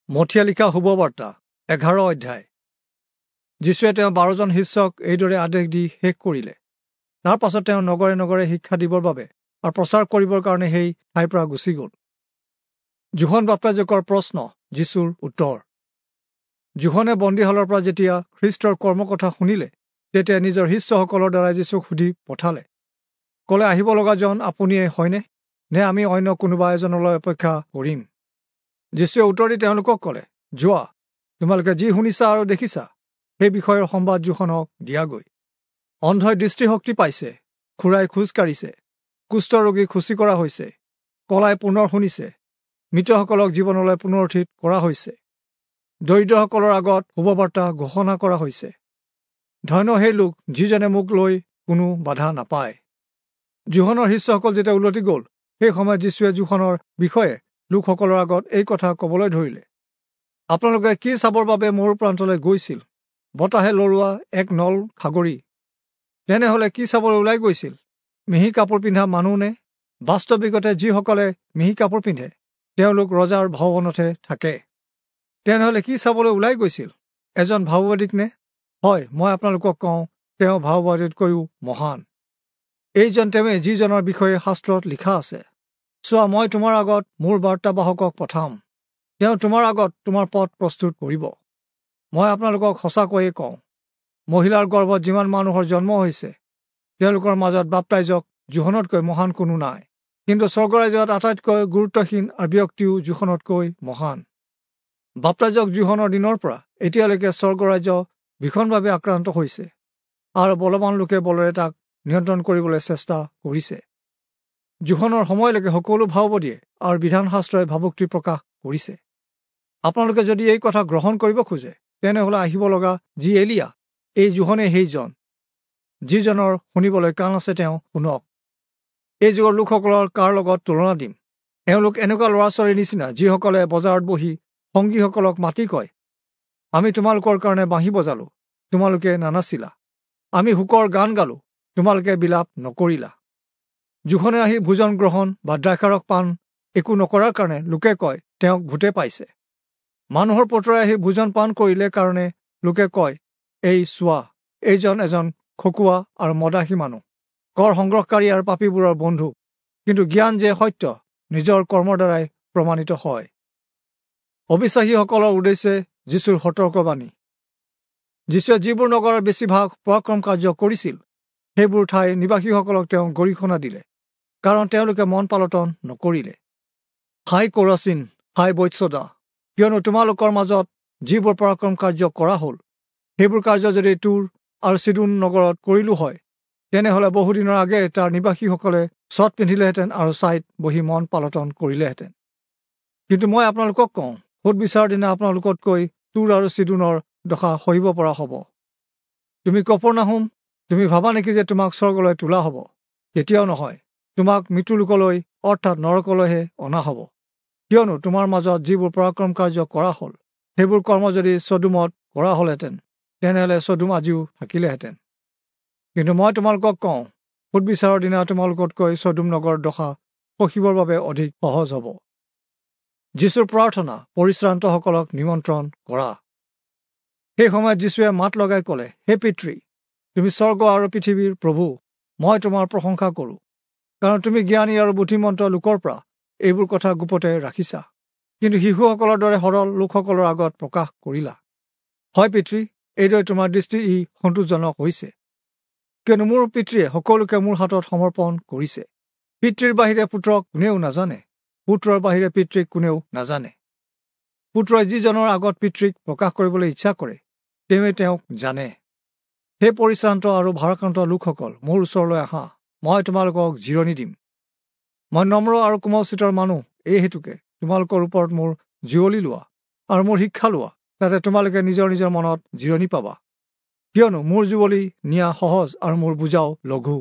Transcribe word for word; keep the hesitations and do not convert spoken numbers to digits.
মথিয়ে লিখা শুভবাৰ্তা এঘাৰ অধ্যায়। যীশুৱে তেওঁ বাৰজন শিষ্যক এইদৰে আদেশ দি শেষ কৰিলে। তাৰ পাছত তেওঁ নগৰে নগৰে শিক্ষা দিবৰ বাবে আৰু প্ৰচাৰ কৰিবৰ কাৰণে সেই ঠাইৰ পৰা গুচি গ'ল। যোহন বাপ্তাইজকৰ প্ৰশ্ন, যীশুৰ উত্তৰ। যোহনে বন্দীশালৰ পৰা যেতিয়া খ্ৰীষ্টৰ কৰ্মকথা শুনিলে, তেতিয়া নিজৰ শিষ্যসকলৰ দ্বাৰা যীশুক সুধি পঠালে, ক'লে, আহিব লগাজন আপুনিয়ে হয়নে, নে আমি অন্য কোনোবা এজনলৈ অপেক্ষা কৰিম? যীশুৱে উত্তৰ দি তেওঁলোকক ক'লে, যোৱা, তোমালোকে যি শুনিছা আৰু দেখিছা সেই বিষয়ৰ সম্বাদ যোহনক দিয়াগৈ। অন্ধই দৃষ্টিশক্তি পাইছে, খুৰাই খোজ কাঢ়িছে, কুষ্ঠ ৰোগী খুচি কৰা হৈছে, কলাই পুনৰ শুনিছে, মৃতসকলক জীৱনলৈ পুনৰুত্থিত কৰা হৈছে, দৰিদ্ৰসকলৰ আগত শুভবাৰ্তা ঘোষণা কৰা হৈছে। ধন্য সেই লোক যিজনে মোক লৈ কোনো বাধা নাপায়। যোহনৰ শিষ্যসকল যেতিয়া উলটি গ'ল, সেই সময়ত যীশুৱে যোহনৰ বিষয়ে লোকসকলৰ আগত এই কথা ক'বলৈ ধৰিলে, আপোনালোকে কি চাবৰ বাবে মোৰ প্ৰান্তলৈ গৈছিল? বতাহে লৰোৱা এক নল খাগৰি। তেনেহ'লে কি চাবলৈ ওলাই গৈছিল? মিহি কাপোৰ পিন্ধা মানুহ নে? বাস্তৱিকতে যিসকলে মিহি কাপোৰ পিন্ধে তেওঁলোক ৰজাৰ ভৱনতহে থাকে। তেনেহ'লে কি চাবলৈ ওলাই গৈছিল? এজন ভাওবাদীক নে? হয়, মই আপোনালোকক কওঁ, তেওঁ ভাওবাদীতকৈও মহান। এইজন তেওঁৱে যিজনৰ বিষয়ে শাস্ত্ৰত লিখা আছে, চোৱা, মই তোমাৰ আগত মোৰ বাৰ্তাবাহকক পঠাম, তেওঁ তোমাৰ আগত তোমাৰ পথ প্ৰস্তুত কৰিব। মই আপোনালোকক সঁচাকৈয়ে কওঁ, মহিলাৰ গৰ্ভত যিমান মানুহৰ জন্ম হৈছে, তেওঁলোকৰ মাজত বাপ্তাইজক যোহনতকৈ মহান কোনো নাই, কিন্তু স্বৰ্গৰাজ্যত আটাইতকৈ গুৰুত্বহীন আৰু ব্যক্তিও যোহনতকৈ মহান। বাপ্তাইজক যোহনৰ দিনৰ পৰা এতিয়ালৈকে স্বৰ্গৰাজ্য ভীষণভাৱে আক্ৰান্ত হৈছে আৰু বলৱান লোকে বলেৰে তাক নিয়ন্ত্ৰণ কৰিবলৈ চেষ্টা কৰিছে। যোহনৰ সময়লৈকে সকলো ভাওবাদীয়ে আৰু বিধানশাস্ত্ৰই ভাবুক্তি প্ৰকাশ কৰিছে। আপোনালোকে যদি এই কথা গ্ৰহণ কৰিব খোজে, তেনেহ'লে আহিব লগা যি এলিয়া, এই যোহনে সেইজন। যিজনৰ শুনিবলৈ কাণ আছে তেওঁ শুনক। এই যুগৰ লোকসকলৰ কাৰ লগত তুলনা দিম? এওঁলোক এনেকুৱা ল'ৰা ছোৱালীৰ নিচিনা যিসকলে বজাৰত বহি সংগীসকলক মাতি কয়, আমি তোমালোকৰ কাৰণে বাঁহী বজালো, তোমালোকে নানাচিলা, আমি শোকৰ গান গালো, তোমালোকে বিলাপ নকৰিলা। যোহনে আহি ভোজন গ্ৰহণ বা দ্ৰাক্ষাৰস পান একো নকৰাৰ কাৰণে লোকে কয়, তেওঁক ভূতে পাইছে। মানুহৰ পুত্ৰই আহি ভোজন পান কৰিলে কাৰণে লোকে কয়, এই চোৱা, এইজন এজন খকুৱা আৰু মদাহী মানুহ, কৰ সংগ্ৰহকাৰী আৰু পাপীবোৰৰ বন্ধু। কিন্তু জ্ঞান যে সত্য, নিজৰ কৰ্মৰ দ্বাৰাই প্ৰমাণিত হয়। অবিশ্বাসীসকলৰ উদ্দেশ্যে যীশুৰ সতৰ্কবাণী। যীশুৱে যিবোৰ নগৰৰ বেছিভাগ পৰাক্ৰম কাৰ্য কৰিছিল, সেইবোৰ ঠাইৰ নিবাসীসকলক তেওঁ গৰিহণা দিলে, কাৰণ তেওঁলোকে মন পালটন নকৰিলে। হাই কোৰাচিন, হাই বৈৎসদা, কিয়নো তোমালোকৰ মাজত যিবোৰ পৰাক্ৰম কাৰ্য কৰা হ'ল, সেইবোৰ কাৰ্য যদি তুৰ আৰু চিদোন নগৰত কৰিলো হয়, তেনেহ'লে বহুদিনৰ আগেয়ে তাৰ নিবাসীসকলে চট পিন্ধিলেহেঁতেন আৰু ছাইত বহি মন পালটন কৰিলেহেঁতেন। কিন্তু মই আপোনালোকক কওঁ, সোধ বিচাৰৰ দিনা আপোনালোকতকৈ তুৰ আৰু চিদোনৰ দশা সহিব পৰা হ'ব। তুমি কপৰ্নাহুম, তুমি ভাবা নেকি যে তোমাক স্বৰ্গলৈ তোলা হ'ব? কেতিয়াও নহয়, তোমাক মৃত্যুলোকলৈ অৰ্থাৎ নৰকলৈহে অনা হ'ব। কিয়নো তোমাৰ মাজত যিবোৰ পৰাক্ৰম কাৰ্য কৰা হ'ল, সেইবোৰ কৰ্ম যদি চদোমত কৰা হ'লহেঁতেন, তেনেহ'লে চদোম আজিও থাকিলেহেঁতেন। কিন্তু মই তোমালোকক কওঁ, সোধ বিচাৰৰ দিনা তোমালোকতকৈ চদোম নগৰৰ দশা সহিবৰ বাবে অধিক সহজ হ'ব। যীশুৰ প্ৰাৰ্থনা, পৰিশ্ৰান্তসকলক নিমন্ত্ৰণ কৰা। সেই সময়ত যীশুৱে মাত লগাই ক'লে, হে পিতৃ, তুমি স্বৰ্গ আৰু পৃথিৱীৰ প্ৰভু, মই তোমাৰ প্ৰশংসা কৰোঁ, কাৰণ তুমি জ্ঞানী আৰু বুদ্ধিমন্ত লোকৰ পৰা এইবোৰ কথা গোপতে ৰাখিছা, কিন্তু শিশুসকলৰ দৰে সৰল লোকসকলৰ আগত প্ৰকাশ কৰিলা। হয় পিতৃ, এইদৰে তোমাৰ দৃষ্টি ই সন্তোষজনক হৈছে, কিয়নো মোৰ পিতৃয়ে সকলোকে মোৰ হাতত সমৰ্পণ কৰিছে। পিতৃৰ বাহিৰে পুত্ৰক কোনেও নাজানে, পুত্ৰৰ বাহিৰে পিতৃক কোনেও নাজানে। পুত্ৰই যিজনৰ আগত পিতৃক প্ৰকাশ কৰিবলৈ ইচ্ছা কৰে, তেওঁৱে তেওঁক জানে। হে পৰিশ্ৰান্ত আৰু ভাৰাক্ৰান্ত লোকসকল, মোৰ ওচৰলৈ আহা, মই তোমালোকক জিৰণি দিম। মই নম্ৰ আৰু কোমলচিতৰ মানুহ, এই হেতুকে তোমালোকৰ ওপৰত মোৰ জিৰলি লোৱা আৰু মোৰ শিক্ষা লোৱা, যাতে তোমালোকে নিজৰ নিজৰ মনত জিৰণি পাবা। কিয়নো মোৰ যুৱলি নিয়া সহজ আৰু মোৰ বোজাও লঘু।